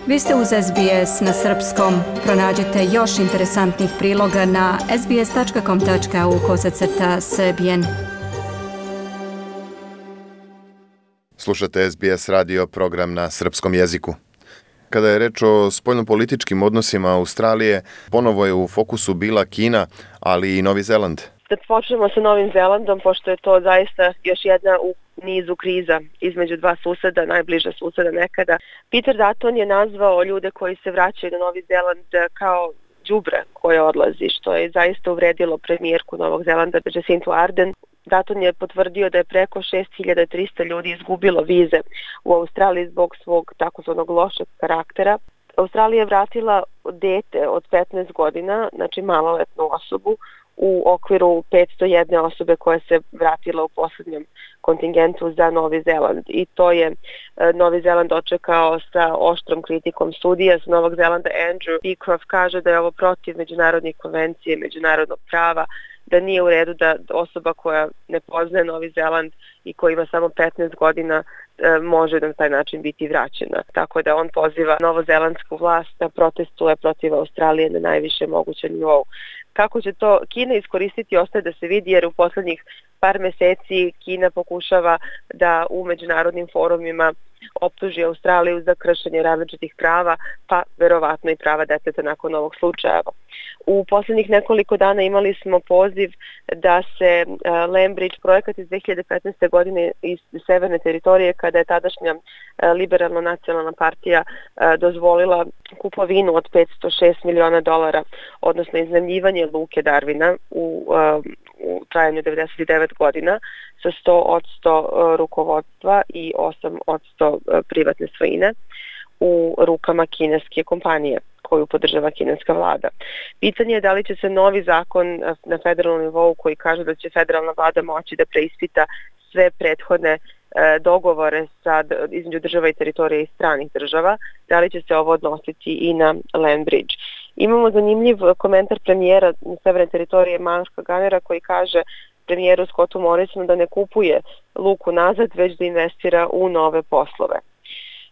Vi ste uz SBS na srpskom. Pronađite još interesantnih priloga na sbs.com.au/srbijen. Slušate SBS radio program na srpskom jeziku. Kada je reč o spoljnopolitičkim odnosima Australije, ponovo je u fokusu bila Kina, ali i Novi Zeland. Da počnemo sa Novim Zelandom, pošto je to zaista još jedna u nizu kriza između dva suseda, najbliža suseda nekada. Peter Dutton je nazvao ljude koji se vraćaju na Novi Zeland kao đubre koje odlazi, što je zaista uvredilo premijerku Novog Zelanda Jacintu Ardern. Dutton je potvrdio da je preko 6300 ljudi izgubilo vize u Australiji zbog svog takozvanog lošeg karaktera. Australija je vratila dete od 15 godina, znači maloletnu osobu, u okviru 501 osobe koja se vratila u posljednjem kontingentu za Novi Zeland. I to je Novi Zeland očekao sa oštrom kritikom. Sudija s Novog Zelanda Andrew Beecroft kaže da je ovo protiv međunarodnih konvencije, međunarodnog prava, da nije u redu da osoba koja ne poznaje Novi Zeland i koja ima samo 15 godina može na taj način biti vraćena. Tako da on poziva novozelandsku vlast da protestuje protiv Australije na najviše mogućem nivou. Kako će to Kina iskoristiti ostaje da se vidi, jer u poslednjih par meseci Kina pokušava da u međunarodnim forumima optuži Australiju za kršenje različitih prava, pa verovatno i prava deteta nakon ovog slučaja. U poslednjih nekoliko dana imali smo poziv da se Lambridge projekat iz 2015. godine iz severne teritorije, kada je tadašnja liberalno nacionalna partija dozvolila kupovinu od $506 miliona, odnosno iznajmljivanje luke Darwina u trajanju 99 godina sa 100% rukovodstva i 8% privatne svojine u rukama kineske kompanije koju podržava kineska vlada. Pitanje je da li će se novi zakon na federalnom nivou koji kaže da će federalna vlada moći da preispita sve prethodne dogovore između država i teritorija i stranih država, da li će se ovo odnositi i na Lambridge. Imamo zanimljiv komentar premijera na severne teritorije Marka Gunnera koji kaže premijeru Scottu Morrisonu da ne kupuje luku nazad, već da investira u nove poslove.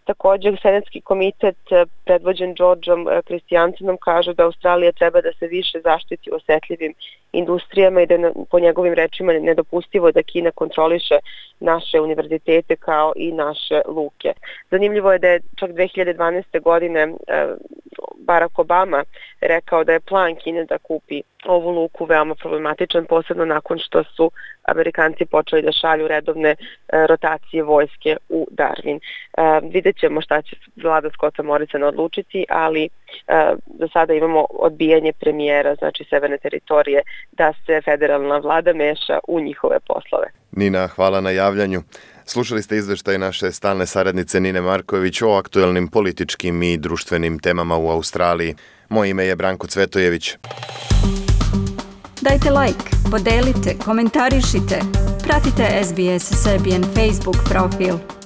Također, senatski komitet predvođen Georgeom Christiansenom kaže da Australija treba da se više zaštiti osetljivim industrijama i da po njegovim rečima nedopustivo da Kina kontroliše naše univerzitete kao i naše luke. Zanimljivo je da je čak 2012. godine Barack Obama rekao da je plan Kine da kupi ovu luku veoma problematičan, posebno nakon što su Amerikanci počeli da šalju redovne rotacije vojske u Darwin. Vidjet ćemo šta će vlada Scotta Morrisona odlučiti, ali do sada imamo odbijanje premijera, znači severne teritorije, da se federalna vlada meša u njihove poslove. Nina, hvala na javljanju. Slušali ste izveštaj naše stalne saradnice Nine Marković o aktuelnim političkim i društvenim temama u Australiji. Moje ime je Branko Cvetojević. Dajte like, podelite, komentarišite. Pratite SBS Serbian Facebook profil.